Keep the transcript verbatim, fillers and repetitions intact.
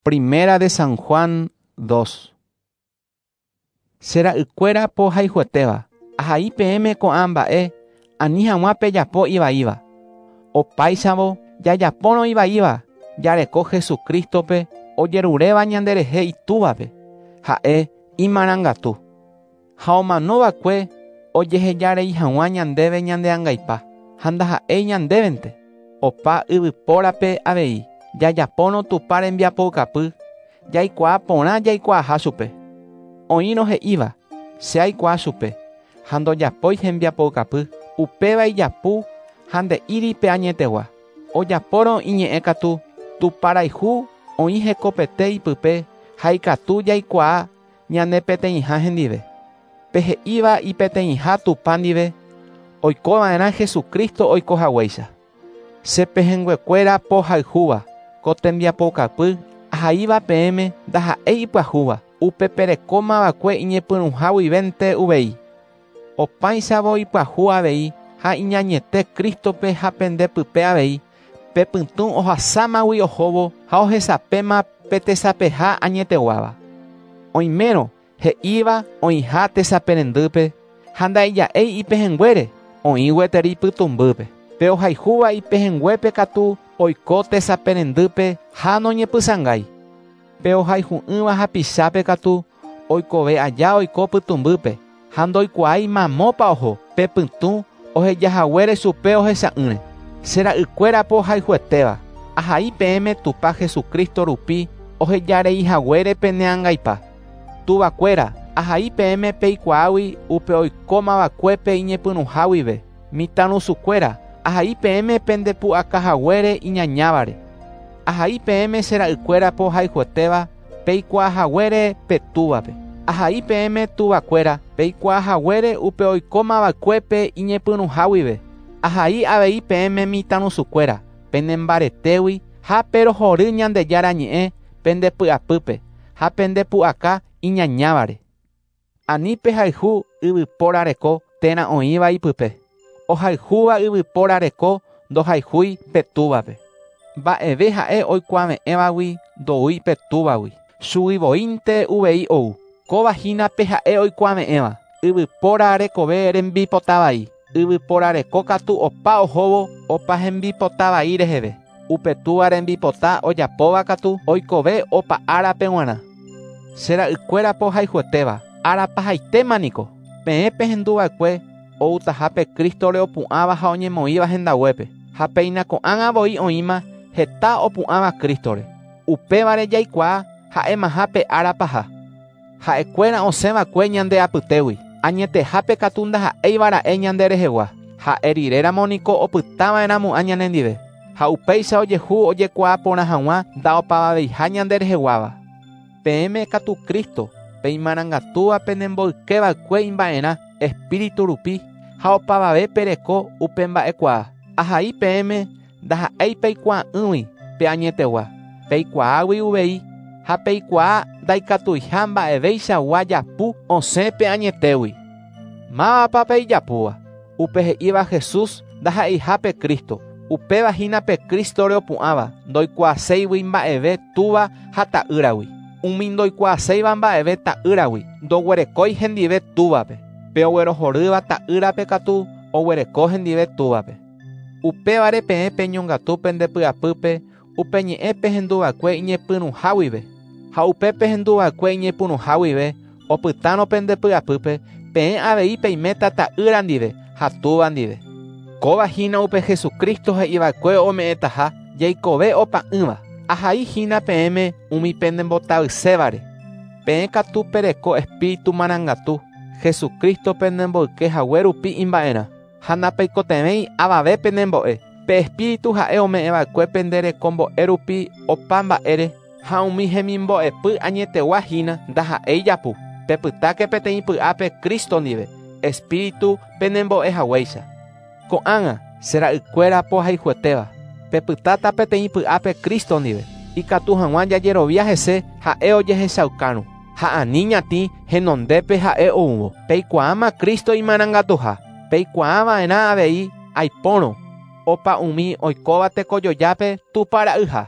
Primera de San Juan dos. Che ra'ykuéra pohayhuetéva, ahai peẽme ko'ã mba'e ani hag̃ua pejapo ivaíva. Opáichavo jajapórõ ivaíva, jareko Jesucristope ojeruréva ñanderehe itúvape, ha'e imarangatu. Ha omanova'ekue ojehejarei hag̃ua ñandéve ñande angaipa, ha ndaha'éi ñandévente. Opa yvypórape avei, jajapórõ Tupã rembiapoukapy, jaikuaa porã jaikuaaha chupe. Oĩrõ he'íva, che aikuaa chupe, ha ndojapói hembiapoukapy, upéva ijapu ha nde'íri pe añetegua. Ojapórõ iñe'ẽ katu, Tupã rayhu oĩ hekopete ipype ha ikatu jaikuaa ñane peteĩha hendive. Pe he'íva ipeteĩha Tupã ndive, oikova'erã Jesucristo oikohaguéicha. Che pehẽnguekuéra pohayhúva, ko tembiapoukapy ahaíva peẽme ndaha'éi ipyahúva, upe perekomava'ekue iñepyrũha guivénte uvei. Opáichavo ipyahu avei ha iñañete Cristope ha pendepype avei, pe pytũ ohasámagui ohóvo ha ohesapéma pe tesapeha añeteguáva. Oimérõ he'íva oĩha tesaperendýpe ha ndaija'éi ipehẽnguére, oĩ gueteri pytũmbýpe. Pe ohayhúva ipehẽnguépe katu oiko tesaperendýpe ha noñepysãngái. Pe ohayhu'ỹva hapichápe katu oikove aja oiko pytũmbýpe ha ndoikuaái mamópa oho pe pytũ ohejahaguére chupe ohecha'ỹre. Che ra'ykuéra pohayhuetéva, ahai peẽme Tupã Jesucristo rupi ohejareihaguére pene angaipa. Tuvakuéra, ahai peẽme peikuaágui upe oikómava'ekuépe iñepyrũha guive. Mitãrusukuéra, ahai peẽme pendepu'akahaguére iñañávare. Ahai peẽme che ra'ykuéra pohayhuetéva peikuaahaguére pe túvape. Ahai peẽme tuvakuéra peikuaahaguére upe oikómava'ekuépe iñepyrũha guive. Ahai avei peẽme mitãrusukuéra penembaretégui ha perohory Ñandejára ñe'ẽ pendepy'apýpe ha pendepu'aka iñañávare. Ani pehayhu yvypóra reko térã oĩva ipype. Ohayhúva yvypóra reko ndohayhúi pe túvape. Mba'eve ha'e oikuave'ẽvagui ndoúi pe túvagui. Chugui voínte uvei ou. Kóva hína pe ha'e oikuave'ẽva. Yvypóra rekove rembipota vai. Yvypóra reko katu opa ohóvo opa hembipota vai reheve. Upe túva rembipota ojapóva katu oikove opa árape g̃uarã. Che ra'ykuéra pohayhuetéva, árapahaitéma niko. Peẽ pehenduva'ekue outahápe Cristore opu'ãva ha oñemoĩva hendaguépe. Ha péina ko'ág̃a voi oĩma heta opu'ãva Cristore. Upévare jaikuaa ha'emaha pe ára paha. Ha'ekuéra osẽva'ekue ñande apytégui. Añetehápe katu ndaha'éivara'e ñande rehegua. Ha'e riréramo niko opytava'erãmo'ã ñanendive. Ha upéicha ojehu ojekuaa porã hag̃ua ndaopavaveiha ñande reheguáva. Peẽme katu Cristo, pe imarangatúva penemboykeva'ekue imba'erã Espíritu rupi ha opavave pereko upe mba'ekuaa. Ahai peẽme ndaha'éi peikuaa'ỹgui pe añetegua. Peikuaágui uvei ha peikuaa ndaikatuiha mba'eveichagua japu osẽ pe añetégui. Mávapa pe ijapúva? Upe he'íva Jesús ndaha'eiha pe Cristo. Upéva hína pe Cristore opu'ãva, ndoikuaaséigui mba'eve túva ha ta'ýragui. Umi ndoikuaaséiva mba'eve ta'ýragui, ndoguerekói hendive túvape. Pe oguerohorýva ta'ýrape katu oguereko hendive túvape. Upévare peẽ peñongatu pendepy'apýpe upe ñe'ẽ pehenduva'ekue iñepyrũha guive. Ha upe pehenduva'ekue iñepyrũha guive opytárõ pendepy'apýpe peẽ avei peiméta ta'ýra ndive ha túva ndive. Kóva hína upe Jesucristo he'iva'ekue ome'ẽtaha jaikove opa'ỹva. Ahai hína peẽme umi penembotavysévare. Peẽ katu pereko Espíritu marangatu Jesucristo penemboykehague rupi imba'erã. Ha ndapeikotevẽi avave penembo'e. Pe Espíritu ha'e ome'ẽva'ekue penderekombo'e rupi opa mba'ére ha umi hemimbo'epy añetegua hína ndaha'éi japu. Pepytáke peteĩ py'ápe Cristo ndive, Espíritu penembo'ehaguéicha. Ko'ág̃a che ra'ykuéra pohayhuetéva, pepytáta peteĩ py'ápe Cristo ndive, ikatu hag̃ua jajerovia hese ha'e ojehechaukárõ. Ha ani ñatĩ henondépe ha'e oúvo. Peikuaáma Cristo imarangatuha. Peikuaava'erã avei aipórõ opa umi oikóva tekojojápe Tupã ra'yha.